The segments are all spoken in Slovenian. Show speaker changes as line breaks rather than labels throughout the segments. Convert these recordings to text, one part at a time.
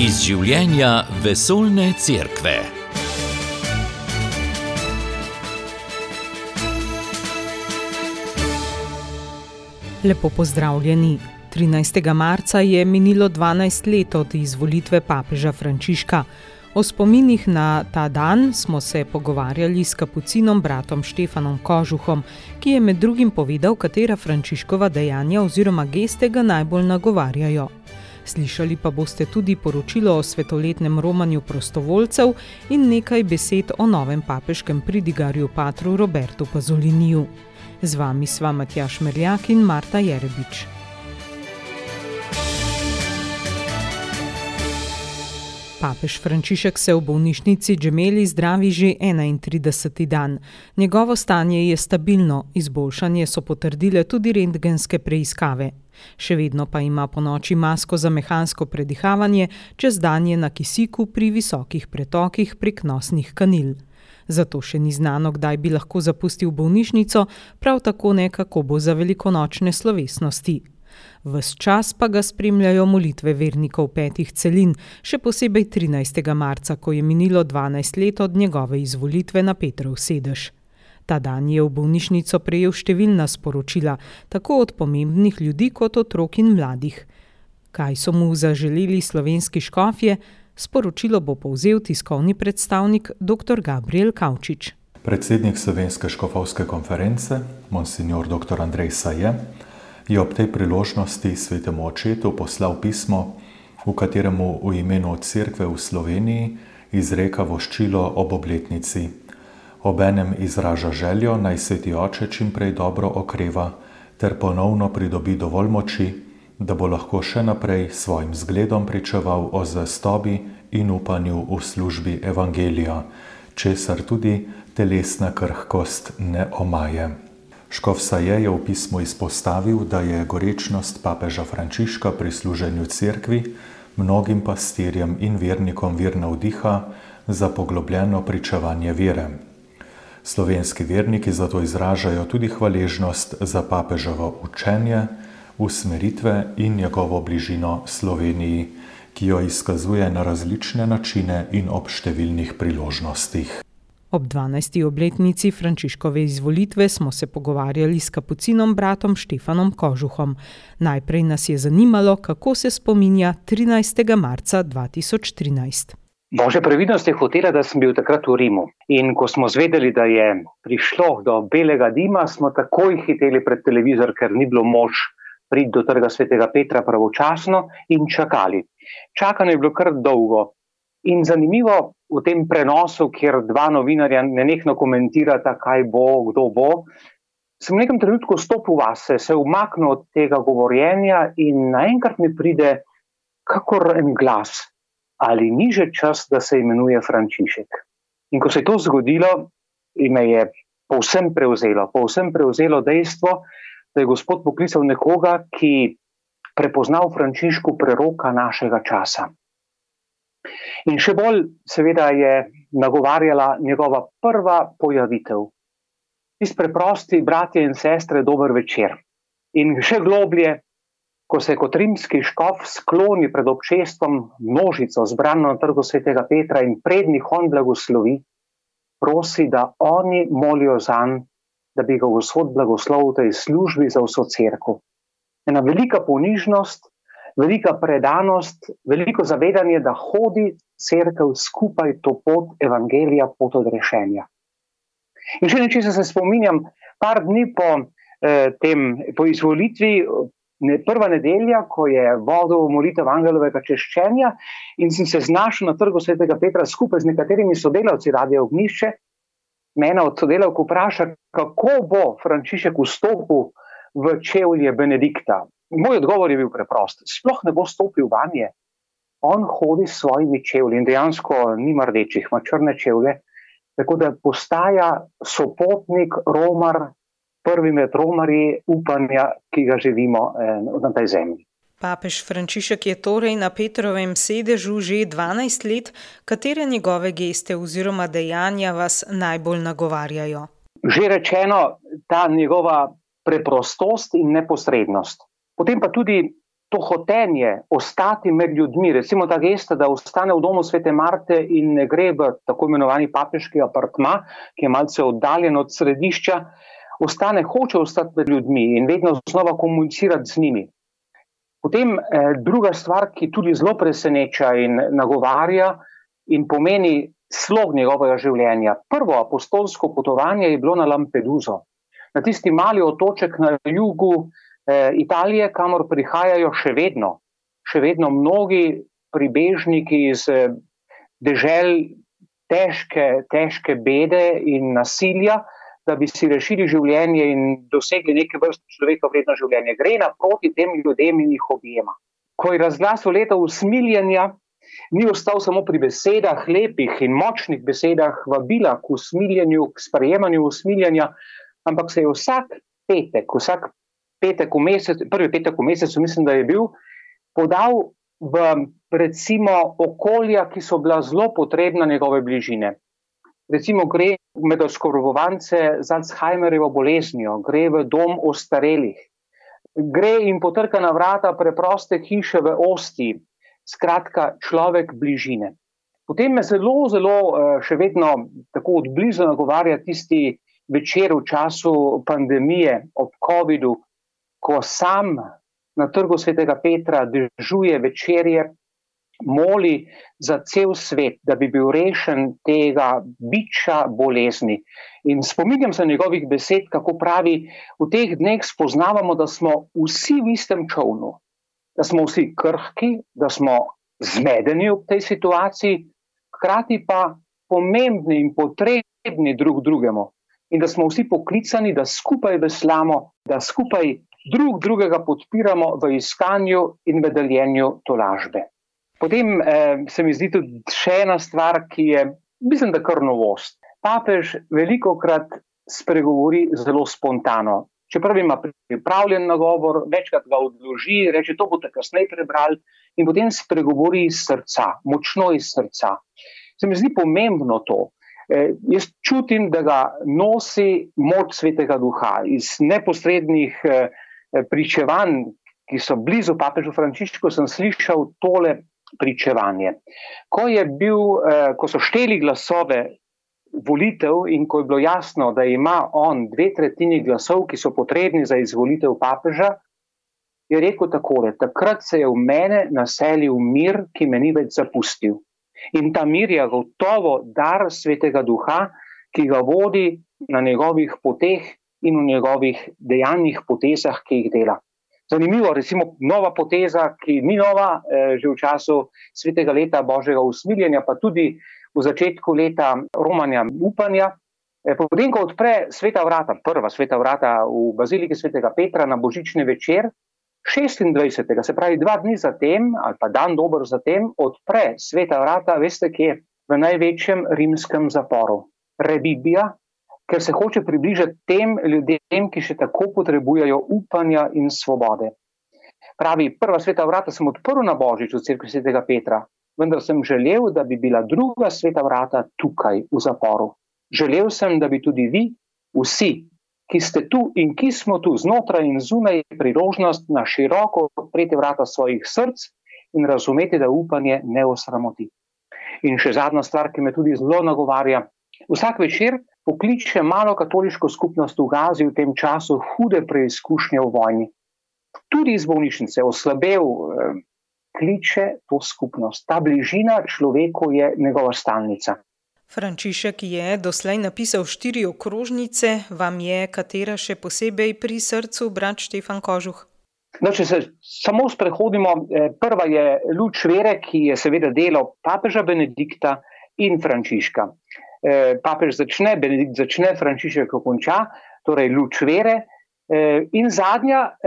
Iz življenja vesoljne cerkve.
Lepo pozdravljeni. 13. marca je minilo 12 let od izvolitve papeža Frančiška. O spominih na ta dan smo se pogovarjali s kapucinom bratom Štefanom Kožuhom, ki je med drugim povedal, katera Frančiškova dejanja oziroma geste ga najbolj nagovarjajo. Slišali pa boste tudi poročilo o svetoletnem romanju prostovoljcev in nekaj besed o novem papeškem pridigarju patru Robertu Pazoliniju. Z vami sva Matjaž Merljak in Marta Jerebič. Papež Frančišek se v bolnišnici Gemelli zdravi že 31. dan. Njegovo stanje je stabilno, izboljšanje so potrdile tudi rentgenske preiskave. Še vedno pa ima ponoči masko za mehansko predihavanje, čez dan je na kisiku pri visokih pretokih prek nosnih kanil. Zato še ni znano, kdaj bi lahko zapustil bolnišnico, prav tako ne, kako bo za velikonočne slovesnosti. Ves čas pa ga spremljajo molitve vernikov 5 celin, še posebej 13. marca, ko je minilo 12 let od njegove izvolitve na Petrov sedež. Ta dan je v bolnišnico prejel številna sporočila, tako od pomembnih ljudi kot otrok in mladih. Kaj so mu zaželeli slovenski škofje? Sporočilo bo povzel tiskovni predstavnik dr. Gabriel Kavčič.
Predsednik Slovenske škofovske konference, monsignor dr. Andrej Saje, je ob tej priložnosti svetemu očetu poslal pismo, v kateremu v imenu cerkve v Sloveniji izreka voščilo ob obletnici. Obenem izraža željo, naj sveti oče čim prej dobro okreva ter ponovno pridobi dovolj moči, da bo lahko še naprej svojim zgledom pričeval o zvestobi in upanju v službi evangelija, česar tudi telesna krhkost ne omaje. Škof Saje je v pismu izpostavil, da je gorečnost papeža Frančiška pri služenju cerkvi mnogim pastirjem in vernikom vir navdiha za poglobljeno pričevanje vere. Slovenski verniki zato izražajo tudi hvaležnost za papeževo učenje, usmeritve in njegovo bližino Sloveniji, ki jo izkazuje na različne načine in ob številnih priložnostih.
Ob 12. obletnici Frančiškove izvolitve smo se pogovarjali s kapucinom bratom Štefanom Kožuhom. Najprej nas je zanimalo, kako se spominja 13. marca 2013.
Božja previdnost je hotela, da sem bil takrat v Rimu. In ko smo zvedeli, da je prišlo do belega dima, smo takoj hiteli pred televizor, ker ni bilo moč priti do trga svetega Petra pravočasno in čakali. Čakanje je bilo kar dolgo. In zanimivo v tem prenosu, kjer dva novinarja nenehno komentirata, kaj bo, kdo bo, sem v nekem trenutku stopil vase, se umaknil od tega govorjenja in naenkrat mi pride kakor en glas. Ali ni že čas, da se imenuje Frančišek? In ko se je to zgodilo, me je povsem prevzelo dejstvo, da je Gospod poklical nekoga, ki prepoznal Frančišku preroka našega časa. In še bolj seveda je nagovarjala njegova prva pojavitev. Tisti preprosti bratje in sestre, dober večer. In še globlje, ko se kot rimski škof skloni pred občestvom množico zbrano na trgu svetega Petra in prednjih on blagoslovi, prosi, da oni molijo zanj, da bi ga Gospod blagoslovil v tej službi za vso cerkev. Ena velika ponižnost, velika predanost, veliko zavedanje, da hodi cerkev skupaj to pot evangelija, pot odrešenja. In še nečesa se spominjam, par dni po izvolitvi, prva nedelja, ko je vodil molitev angelovega češčenja in sem se znašel na trgu svetega Petra skupaj z nekaterimi sodelavci Radia Ognjišče, me ena od sodelavk vpraša, kako bo Frančišek vstopil v čevlje Benedikta. Moj odgovor je bil preprost. Sploh ne bo stopil vanje. On hodi s svojimi čevlji in dejansko nima rdečih, ima črne čevlje, tako da postaja sopotnik, romar, prvi med romarji upanja, ki ga živimo na tej zemlji.
Papež Frančišek je torej na Petrovem sedežu že 12 let. Katere njegove geste oziroma dejanja vas najbolj nagovarjajo?
Že rečeno, ta njegova preprostost in neposrednost. Potem pa tudi to hotenje ostati med ljudmi, recimo ta gesta, da ostane v domu Svete Marte in ne gre v tako imenovani papeški apartma, ki je malce oddaljen od središča, hoče ostati med ljudmi in vedno znova komunicirati z njimi. Potem druga stvar, ki tudi zelo preseneča in nagovarja in pomeni slog njegovega življenja. Prvo apostolsko potovanje je bilo na Lampeduso, na tisti mali otoček na jugu Italije, kamor prihajajo še vedno mnogi pribežniki iz dežel težke bede in nasilja, da bi si rešili življenje in dosegli neke vrste človeka vredno življenje. Gre naproti tem ljudem in jih objema. Ko je razglasil leto usmiljenja, ni ostal samo pri besedah, lepih in močnih besedah vabila k usmiljenju, k sprejemanju usmiljenja, ampak se je vsak petek v mesecu, prvi petek v mesecu, mislim, da je bil, podal v recimo okolja, ki so bila zelo potrebna njegove bližine. Recimo gre med oskrbovance z Alzheimerjevo boleznijo, gre v dom ostarelih, gre in potrka na vrata preproste hiše v Ostiji, skratka človek bližine. Potem me zelo še vedno tako od blizu nagovarja tisti večer v času pandemije ob covidu, ko sam na trgu Svetega Petra dežuje večerje, moli za cel svet, da bi bil rešen tega biča bolezni. In spominjam se njegovih besed, kako pravi, v teh dneh spoznavamo, da smo vsi v istem čolnu, da smo vsi krhki, da smo zmedeni v tej situaciji, hkrati pa pomembni in potrebni drug drugemu. In da smo vsi poklicani, da skupaj veslamo, da skupaj drugega podpiramo v iskanju in v deljenju tolažbe. Potem se mi zdi tudi še ena stvar, ki je, mislim, da kar novost. Papež velikokrat spregovori zelo spontano. Čeprav ima pripravljen nagovor, večkrat ga odloži, reče, to boste kasneje prebrali in potem spregovori iz srca, močno iz srca. Se mi zdi pomembno to. Jaz čutim, da ga nosi moč Svetega Duha iz neposrednih pričevanj, ki so blizu papežu Frančišku, sem slišal tole pričevanje. Ko so šteli glasove volitev in ko je bilo jasno, da ima on 2/3 glasov, ki so potrebni za izvolitev papeža, je rekel takole: takrat se je v mene naselil mir, ki me ni več zapustil. In ta mir je gotovo dar Svetega Duha, ki ga vodi na njegovih poteh in v njegovih dejanjih potezah, ki jih dela. Zanimivo, recimo nova poteza, ki ni nova, že v času svetega leta Božjega usmiljenja, pa tudi v začetku leta romanja upanja. Potem, ko odpre prva sveta vrata v baziliki Svetega Petra na božični večer, 26. se pravi 2 dni zatem, ali pa dan dober zatem, odpre sveta vrata, veste kje, v največjem rimskem zaporu, Rebibbia, ker se hoče približati tem ljudem, ki še tako potrebujejo upanja in svobode. Pravi, prva sveta vrata sem odprl na Božič v cerkvi Svetega Petra, vendar sem želel, da bi bila druga sveta vrata tukaj v zaporu. Želel sem, da bi tudi vi, vsi, ki ste tu in ki smo tu znotraj in zunaj, priložnost na široko odpreti vrata svojih src in razumeti, da upanje ne osramoti. In še zadnja stvar, ki me tudi zelo nagovarja. Vsak večer pokliče malo katoliško skupnost v Gazi v tem času hude preizkušnje v vojni. Tudi iz bolnišnice, oslabel, kliče to skupnost. Ta bližina človeku je njegova stalnica.
Frančišek je doslej napisal 4 okrožnice, vam je katera še posebej pri srcu, brat Štefan Kožuh?
No, če se samo sprehodimo, prva je luč vere, ki je seveda delo papeža Benedikta in Frančiška. Papež začne, Benedikt začne, Frančišek konča, torej luč vere. In zadnja,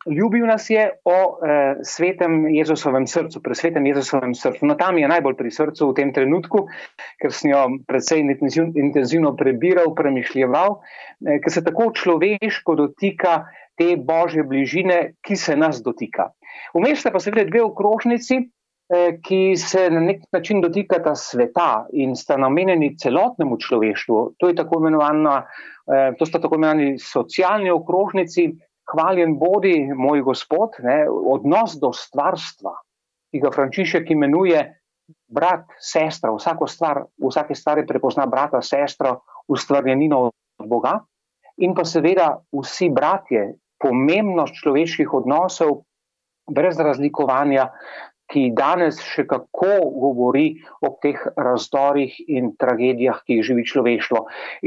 ljubil nas je o svetem Jezusovem srcu, pri svetem Jezusovem srcu. No, tam je najbolj pri srcu v tem trenutku, ker sem jo precej intenzivno prebiral, premišljeval, ker se tako človeško dotika te Božje bližine, ki se nas dotika. Vmes sta pa seveda 2 okrožnici, ki se na nek način dotikata sveta in sta namenjeni celotnemu človeštvu. To sta tako imenovani socialni okrožnici, hvaljen bodi moj Gospod, odnos do stvarstva, ki ga Frančišek imenuje brat, sestra, vsake stvari prepozna brata, sestro, ustvarjenino od Boga, in pa seveda vsi bratje, pomembnost človeških odnosov, brez razlikovanja, ki danes še kako govori o teh razdorih in tragedijah, ki jih živi človeštvo.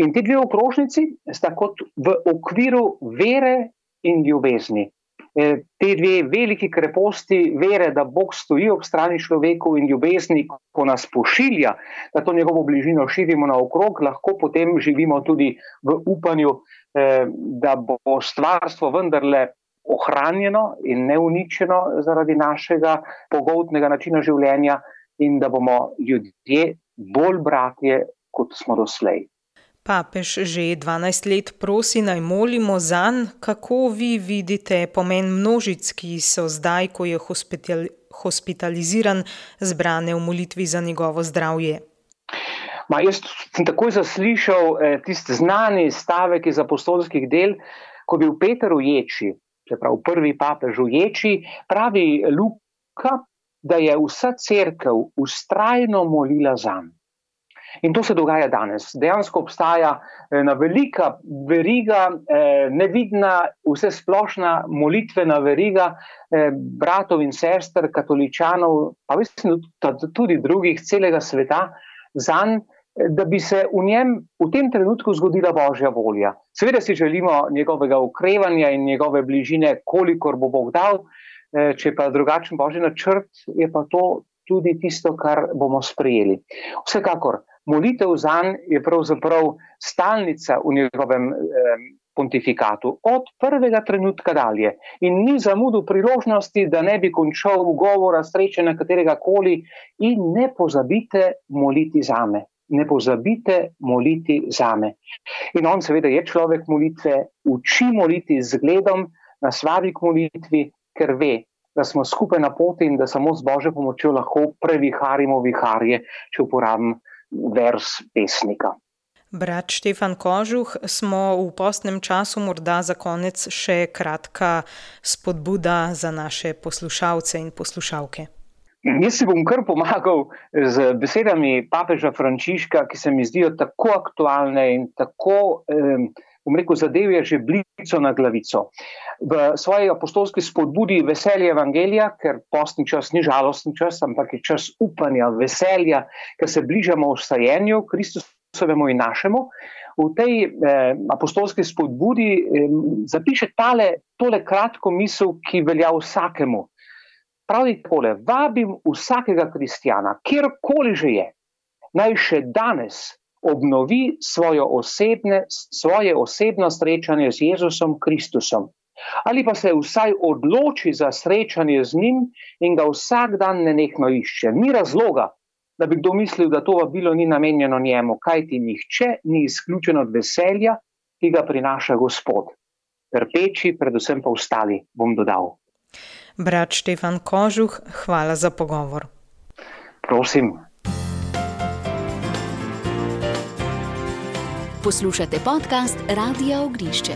In ti dve okrožnici sta kot v okviru vere in ljubezni. Te dve veliki kreposti vere, da Bog stoji ob strani človeku, in ljubezni, ko nas pošilja, da to njegovo bližino širimo naokrog, lahko potem živimo tudi v upanju, da bo stvarstvo vendarle ohranjeno in neuničeno zaradi našega pogoltnega načina življenja in da bomo ljudje bolj bratje, kot smo doslej.
Papež že 12 let prosi, naj molimo zanj. Kako vi vidite pomen množic, ki so zdaj, ko je hospitaliziran, zbrane v molitvi za njegovo zdravje?
Jaz sem takoj zaslišal tisti znani stavek iz apostolskih del, ko je bil Peter v ječi, čeprav prvi papež v ječi, pravi Luka, da je vsa cerkev vztrajno molila zanj. In to se dogaja danes. Dejansko obstaja ena velika veriga, nevidna, vsesplošna molitvena veriga bratov in sester, katoličanov, pa mislim tudi drugih, celega sveta, zanj, da bi se v njem v tem trenutku zgodila Božja volja. Seveda si želimo njegovega okrevanja in njegove bližine, kolikor bo Bog dal, če pa drugačen Božji načrt, je pa to tudi tisto, kar bomo sprejeli. Vsekakor, molitev zanj je pravzaprav stalnica v njegovem pontifikatu, od prvega trenutka dalje. In ni zamudil priložnosti, da ne bi končal govora, sreče na katerega koli, in ne pozabite moliti zame. Ne pozabite moliti zame. In on seveda je človek molitve, uči moliti z zgledom, nas vabi k molitvi, ker ve, da smo skupaj na poti in da samo z Božjo pomočjo lahko previharimo viharje, če uporabim vers pesnika.
Brat Štefan Kožuh, smo v postnem času, morda za konec še kratka spodbuda za naše poslušalce in poslušalke.
Jaz si bom kar pomagal z besedami papeža Frančiška, ki se mi zdijo tako aktualne in tako, zadevje že blico na glavico. V svoji apostolski spodbudi veselje evangelija, ker postni čas ni žalostni čas, ampak je čas upanja, veselja, ker se bližamo vstajenju Kristusovemu in našemu. V tej apostolski spodbudi zapiše tole kratko misel, ki velja vsakemu. Pravi takole: vabim vsakega kristjana, kjerkoli že je, naj še danes obnovi svoje osebno srečanje z Jezusom Kristusom. Ali pa se vsaj odloči za srečanje z njim in ga vsak dan nenehno išče. Ni razloga, da bi kdo mislil, da to vabilo ni namenjeno njemu, kajti nihče ni izključen od veselja, ki ga prinaša Gospod. Trpeči, predvsem pa ostali, bom dodal.
Brat Štefan Kožuh, hvala za pogovor.
Prosim.
Poslušate podcast Radia Ognišče.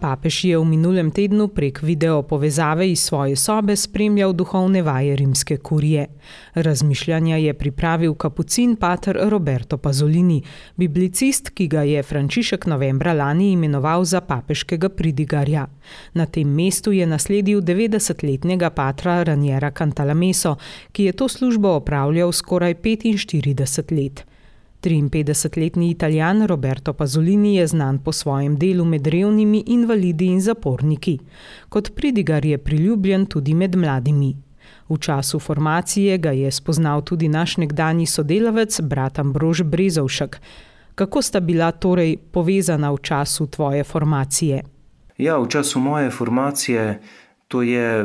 Papež je v minulem tednu prek video povezave iz svoje sobe spremljal duhovne vaje rimske kurije. Razmišljanja je pripravil kapucin pater Roberto Pasolini, biblicist, ki ga je Frančišek novembra lani imenoval za papeškega pridigarja. Na tem mestu je nasledil 90-letnega patra Raniera Cantalameso, ki je to službo opravljal skoraj 45 let. 53-letni Italijan Roberto Pasolini je znan po svojem delu med revnimi, invalidi in zaporniki. Kot pridigar je priljubljen tudi med mladimi. V času formacije ga je spoznal tudi naš nekdanji sodelavec, brat Ambrož Brezovšek. Kako sta bila torej povezana v času tvoje formacije?
Ja, v času moje formacije, to je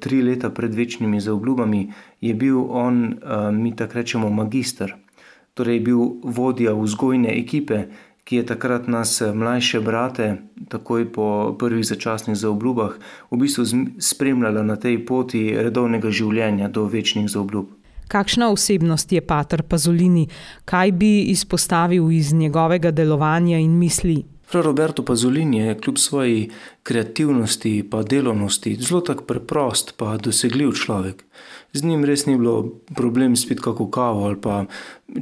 3 leta pred večnimi zaobljubami, je bil on, mi tako rečemo, magister. Torej je bil vodja vzgojne ekipe, ki je takrat nas mlajše brate, takoj po prvih začasnih zaobljubah, v bistvu spremljala na tej poti redovnega življenja do večnih zaobljub.
Kakšna osebnost je pater Pasolini? Kaj bi izpostavil iz njegovega delovanja in misli?
Fra Roberto Pasolini je kljub svoji kreativnosti pa delovnosti zelo tak preprost pa dosegljiv človek. Z njim res ni bilo problem spiti kako kavo ali pa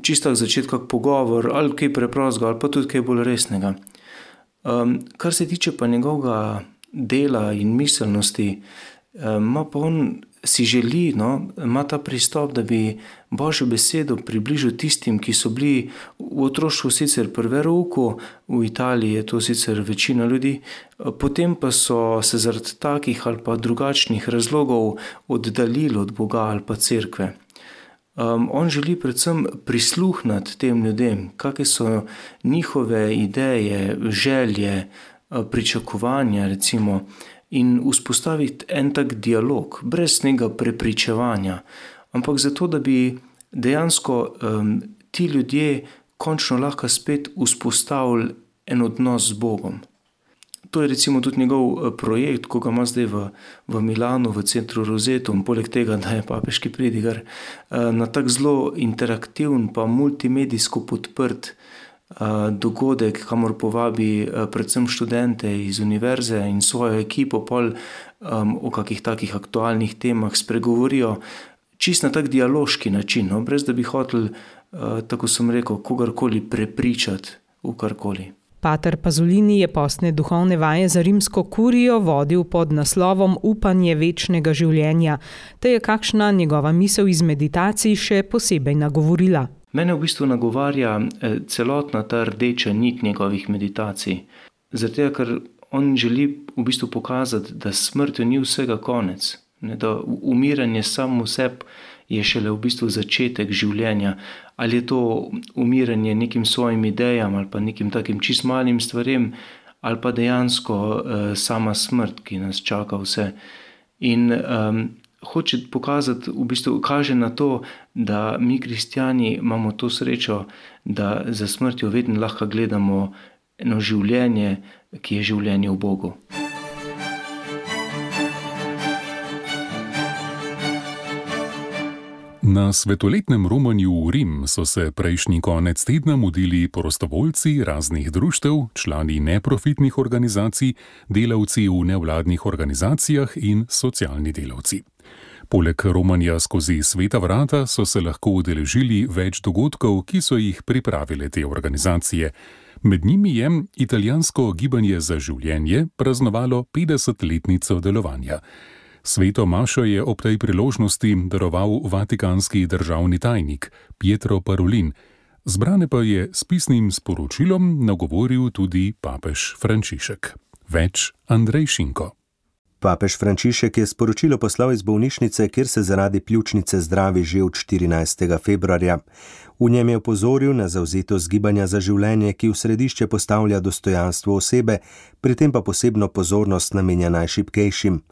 čisto začeti kak pogovor ali kaj preprostega ali pa tudi kaj bolj resnega. Kar se tiče pa njegovega dela in miselnosti, ima pa on si želi, ima ta pristop, da bi Božjo besedo približal tistim, ki so bili v otroštvu sicer pri verouku, v Italiji je to sicer večina ljudi, potem pa so se zaradi takih ali pa drugačnih razlogov oddaljili od Boga ali pa cerkve. On želi predvsem prisluhniti tem ljudem, kakve so njihove ideje, želje, pričakovanja recimo, in vzpostaviti en tak dialog, brez nekega prepričevanja, ampak zato, da bi dejansko ti ljudje končno lahko spet vzpostavili en odnos z Bogom. To je recimo tudi njegov projekt, ko ga ima zdaj v Milanu, v centru Rosetum, poleg tega, da je papeški pridigar, na tak zelo interaktivn pa multimedijsko podprt dogodek, kamor povabi predvsem študente iz univerze in svojo ekipo pol o kakih takih aktualnih temah spregovorijo čist na tak dialoški način, brez da bi hotel, tako sem rekel, kogarkoli prepričati v karkoli.
Pater Pasolini je postne duhovne vaje za rimsko kurijo vodil pod naslovom Upanje večnega življenja, te je kakšna njegova misel iz meditacij še posebej nagovorila.
Mene v bistvu nagovarja celotna ta rdeča nit njegovih meditacij. Zato, ker on želi v bistvu pokazati, da smrtjo ni vsega konec, da umiranje samo v sebi je šele v bistvu začetek življenja. Ali je to umiranje nekim svojim idejam ali pa nekim takim čist malim stvarem, ali pa dejansko sama smrt, ki nas čaka vse. In hoče pokazati, v bistvu kaže na to, da mi kristjani imamo to srečo, da za smrtjo vedno lahko gledamo eno življenje, ki je življenje v Bogu.
Na svetoletnem romanju v Rim so se prejšnji konec tedna mudili prostovoljci raznih društev, člani neprofitnih organizacij, delavci v nevladnih organizacijah in socialni delavci. Poleg romanja skozi sveta vrata so se lahko udeležili več dogodkov, ki so jih pripravile te organizacije. Med njimi je italijansko gibanje za življenje praznovalo 50-letnico delovanja. Sveto mašo je ob tej priložnosti daroval vatikanski državni tajnik Pietro Parolin. Zbrane pa je s pisnim sporočilom nagovoril tudi papež Frančišek. Več Andrej Šinko.
Papež Frančišek je sporočilo poslal iz bolnišnice, kjer se zaradi pljučnice zdravi že od 14. februarja. V njem je opozoril na zavzetost gibanja za življenje, ki v središče postavlja dostojanstvo osebe, pri tem pa posebno pozornost namenja najšibkejšim.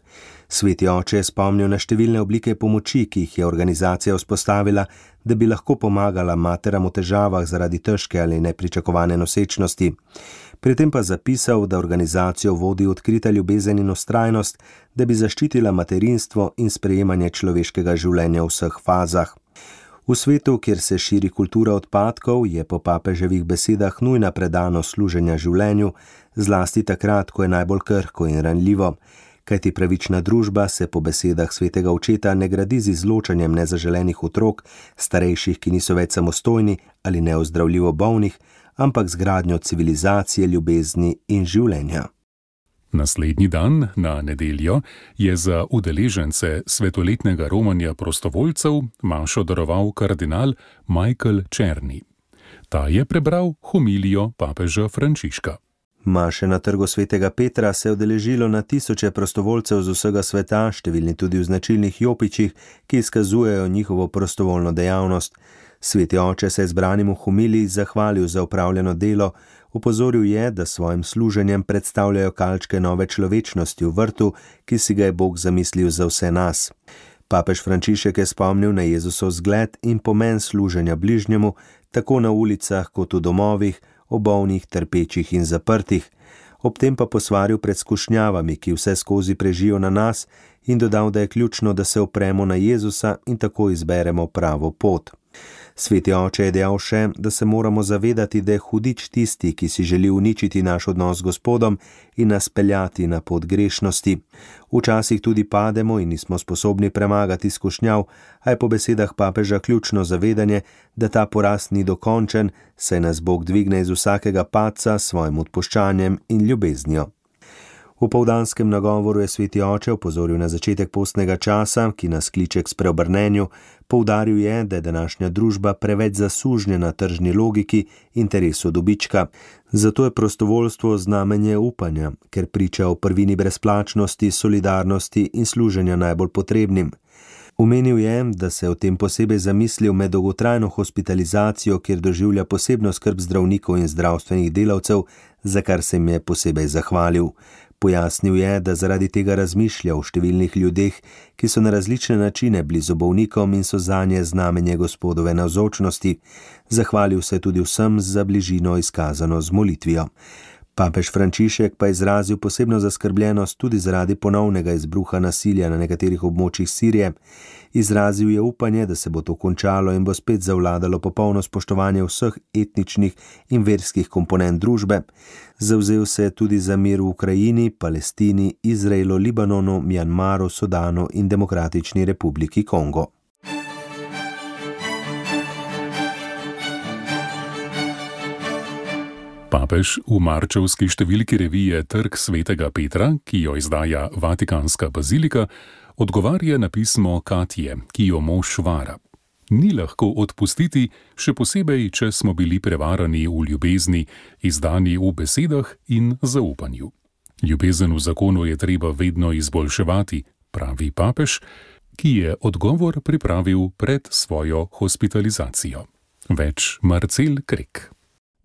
Sveti oče je spomnil na številne oblike pomoči, ki jih je organizacija vzpostavila, da bi lahko pomagala materam v težavah zaradi težke ali nepričakovane nosečnosti. Pri tem pa zapisal, da organizacijo vodi odkrita ljubezen in vztrajnost, da bi zaščitila materinstvo in sprejemanje človeškega življenja v vseh fazah. V svetu, kjer se širi kultura odpadkov, je po papeževih besedah nujna predanost služenja življenju, zlasti takrat, ko je najbolj krhko in ranljivo. Kajti pravična družba se po besedah svetega očeta ne gradi z izločanjem nezaželenih otrok, starejših, ki niso več samostojni ali neozdravljivo bolnih, ampak z gradnjo civilizacije, ljubezni in življenja.
Naslednji dan, na nedeljo, je za udeležence svetoletnega romanja prostovoljcev mašo daroval kardinal Michael Černi. Ta je prebral homilijo papeža Frančiška.
Maše na trgu svetega Petra se je udeležilo na tisoče prostovoljcev z vsega sveta, številni tudi v značilnih jopičih, ki izkazujejo njihovo prostovoljno dejavnost. Sveti oče se je zbranim v homiliji zahvalil za opravljeno delo, opozoril je, da svojim služenjem predstavljajo kalčke nove človečnosti v vrtu, ki si ga je Bog zamislil za vse nas. Papež Frančišek je spomnil na Jezusov zgled in pomen služenja bližnjemu, tako na ulicah kot v domovih, o bolnih, trpečih in zaprtih. Ob tem pa posvaril pred skušnjavami, ki vse skozi prežijo na nas, in dodal, da je ključno, da se opremo na Jezusa in tako izberemo pravo pot. Sveti oče je dejal še, da se moramo zavedati, da je hudič tisti, ki si želi uničiti naš odnos z Gospodom in nas peljati na pot grešnosti. Včasih tudi pademo in nismo sposobni premagati skušnjav, a je po besedah papeža ključno zavedanje, da ta poraz ni dokončen, saj nas Bog dvigne iz vsakega padca s svojim odpuščanjem in ljubeznijo. V povdanskem nagovoru je sveti oče opozoril na začetek postnega časa, ki nas kliče k spreobrnenju. Poudaril je, da je današnja družba preveč zasužnjena tržni logiki, interesu dobička. Zato je prostovoljstvo znamenje upanja, ker priča o prvini brezplačnosti, solidarnosti in služenja najbolj potrebnim. Omenil je, da se o tem posebej zamislil med dolgotrajno hospitalizacijo, kjer doživlja posebno skrb zdravnikov in zdravstvenih delavcev, za kar se jim je posebej zahvalil. Pojasnil je, da zaradi tega razmišlja o številnih ljudeh, ki so na različne načine blizu bolnikom in so zanje znamenje Gospodove navzočnosti. Zahvalil se tudi vsem za bližino izkazano z molitvijo. Papež Frančišek pa je izrazil posebno zaskrbljenost tudi zaradi ponovnega izbruha nasilja na nekaterih območjih Sirije. Izrazil je upanje, da se bo to končalo in bo spet zavladalo popolno spoštovanje vseh etničnih in verskih komponent družbe. Zavzel se je tudi za mir v Ukrajini, Palestini, Izraelu, Libanonu, Mjanmaru, Sudanu in Demokratični republiki Kongo.
Papež v marčevski številki revije Trg svetega Petra, ki jo izdaja Vatikanska bazilika, odgovarja na pismo Katje, ki jo mož vara. Ni lahko odpustiti, še posebej, če smo bili prevarani v ljubezni, izdani v besedah in zaupanju. Ljubezen v zakonu je treba vedno izboljševati, pravi papež, ki je odgovor pripravil pred svojo hospitalizacijo. Več Marcel Krek.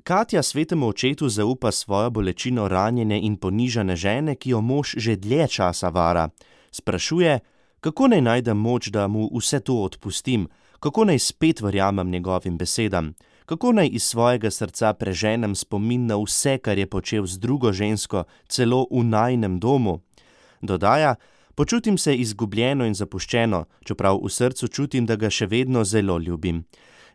Katja svetemu očetu zaupa svojo bolečino ranjene in ponižane žene, ki jo mož že dlje časa vara. Sprašuje, kako naj najdem moč, da mu vse to odpustim, kako naj spet verjamem njegovim besedam, kako naj iz svojega srca preženem spomin na vse, kar je počel z drugo žensko, celo v najinem domu. Dodaja, počutim se izgubljeno in zapuščeno, čeprav v srcu čutim, da ga še vedno zelo ljubim.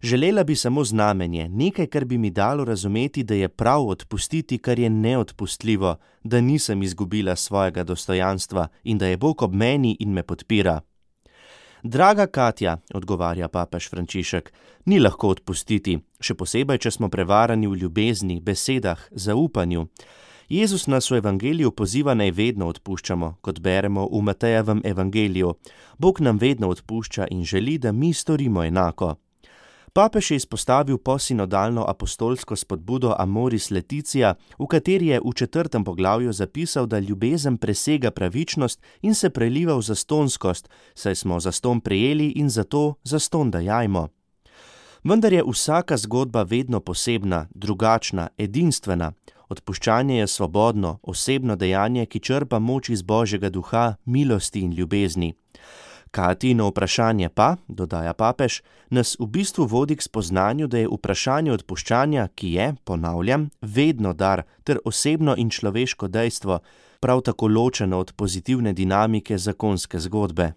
Želela bi samo znamenje, nekaj, kar bi mi dalo razumeti, da je prav odpustiti, kar je neodpustljivo, da nisem izgubila svojega dostojanstva in da je Bog ob meni in me podpira. Draga Katja, odgovarja papež Frančišek, ni lahko odpustiti, še posebej, če smo prevarani v ljubezni, besedah, zaupanju. Jezus nas v evangeliju poziva, naj vedno odpuščamo, kot beremo v Matejevem evangeliju. Bog nam vedno odpušča in želi, da mi storimo enako. Papež je izpostavil posinodalno apostolsko spodbudo Amoris Laetitia, v kateri je v 4. poglavju zapisal, da ljubezen presega pravičnost in se preliva v zastonskost, saj smo zaston prejeli in zato zaston dajajmo. Vendar je vsaka zgodba vedno posebna, drugačna, edinstvena. Odpuščanje je svobodno, osebno dejanje, ki črpa moč iz Božjega duha, milosti in ljubezni. Katijino vprašanje pa, dodaja papež, nas v bistvu vodi k spoznanju, da je vprašanje odpuščanja, ki je, ponavljam, vedno dar ter osebno in človeško dejstvo, prav tako ločeno od pozitivne dinamike zakonske zgodbe.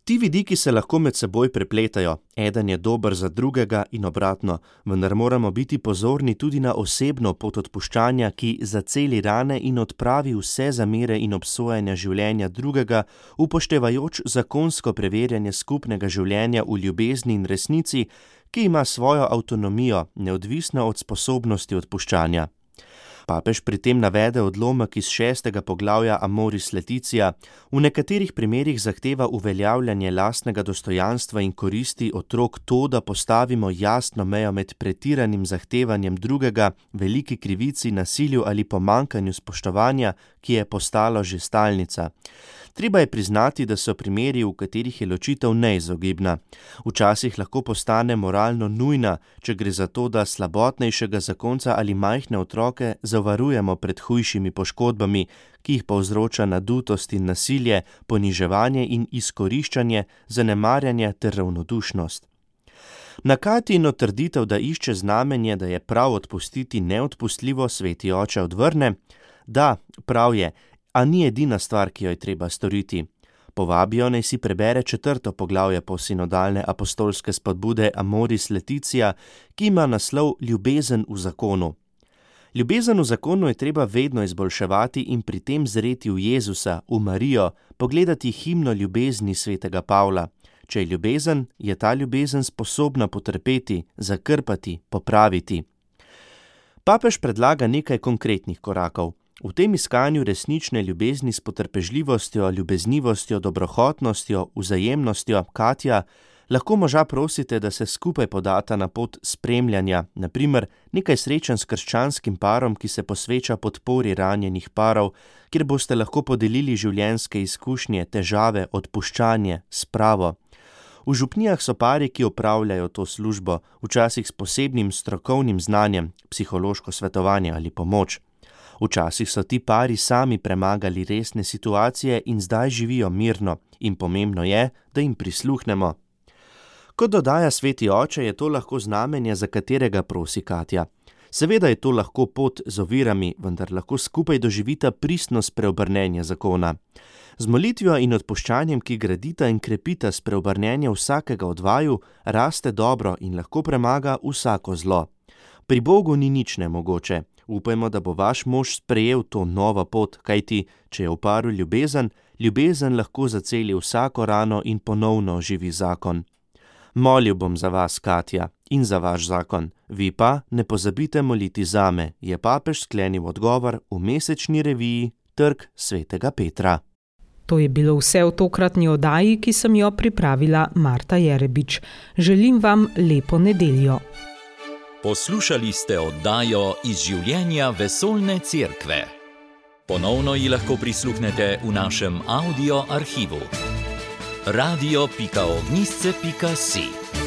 Ti vidiki se lahko med seboj prepletajo, eden je dober za drugega in obratno, vendar moramo biti pozorni tudi na osebno pot odpuščanja, ki zaceli rane in odpravi vse zamere in obsojanja življenja drugega, upoštevajoč zakonsko preverjanje skupnega življenja v ljubezni in resnici, ki ima svojo avtonomijo, neodvisno od sposobnosti odpuščanja. Papež pri tem navede odlomek iz 6. poglavja Amoris Laetitia, v nekaterih primerih zahteva uveljavljanje lastnega dostojanstva in koristi otrok to, da postavimo jasno mejo med pretiranim zahtevanjem drugega, veliki krivici, nasilju ali pomanjkanju spoštovanja, ki je postalo že stalnica. Treba je priznati, da so primeri, v katerih je ločitev neizogibna. Včasih lahko postane moralno nujna, če gre za to, da slabotnejšega zakonca ali majhne otroke zavarujemo pred hujšimi poškodbami, ki jih povzroča nadutost in nasilje, poniževanje in izkoriščanje, zanemarjanje ter ravnodušnost. Na Katijino trditev, da išče znamenje, da je prav odpustiti neodpustljivo, sveti oče odvrne, da, prav je, a ni edina stvar, ki jo je treba storiti. povabijo, naj si prebere 4. poglavje posinodalne apostolske spodbude Amoris Laetitia, ki ima naslov Ljubezen v zakonu. Ljubezen v zakonu je treba vedno izboljševati in pri tem zreti v Jezusa, v Marijo, pogledati himno ljubezni svetega Pavla. Če je ljubezen, je ta ljubezen sposobna potrpeti, zakrpati, popraviti. Papež predlaga nekaj konkretnih korakov. V tem iskanju resnične ljubezni s potrpežljivostjo, ljubeznivostjo, dobrohotnostjo, vzajemnostjo, Katja, lahko moža prosite, da se skupaj podata na pot spremljanja, na primer nekaj srečanj s krščanskim parom, ki se posveča podpori ranjenih parov, kjer boste lahko podelili življenjske izkušnje, težave, odpuščanje, spravo. V župnijah so pari, ki opravljajo to službo, včasih s posebnim strokovnim znanjem, psihološko svetovanje ali pomoč. Včasih so ti pari sami premagali resne situacije in zdaj živijo mirno in pomembno je, da jim prisluhnemo. Kot dodaja sveti oče, je to lahko znamenje, za katerega prosi Katja. Seveda je to lahko pot z ovirami, vendar lahko skupaj doživita pristnost preobrnenja zakona. Z molitvijo in odpuščanjem, ki gradita in krepita spreobrnenje vsakega od vaju, raste dobro in lahko premaga vsako zlo. Pri Bogu ni nič nemogoče. Upajmo, da bo vaš mož sprejel to novo pot, kajti, če je v paru ljubezen, ljubezen lahko zaceli vsako rano in ponovno oživi zakon. Molil bom za vas, Katja, in za vaš zakon. Vi pa ne pozabite moliti zame, je papež sklenil odgovor v mesečni reviji Trg svetega Petra.
To je bilo vse v tokratni oddaji, ki sem jo pripravila Marta Jerebič. Želim vam lepo nedeljo.
Poslušali ste oddajo Iz življenja vesoljne cerkve. Ponovno ji lahko prisluhnete v našem audio arhivu. radio.ognisce.si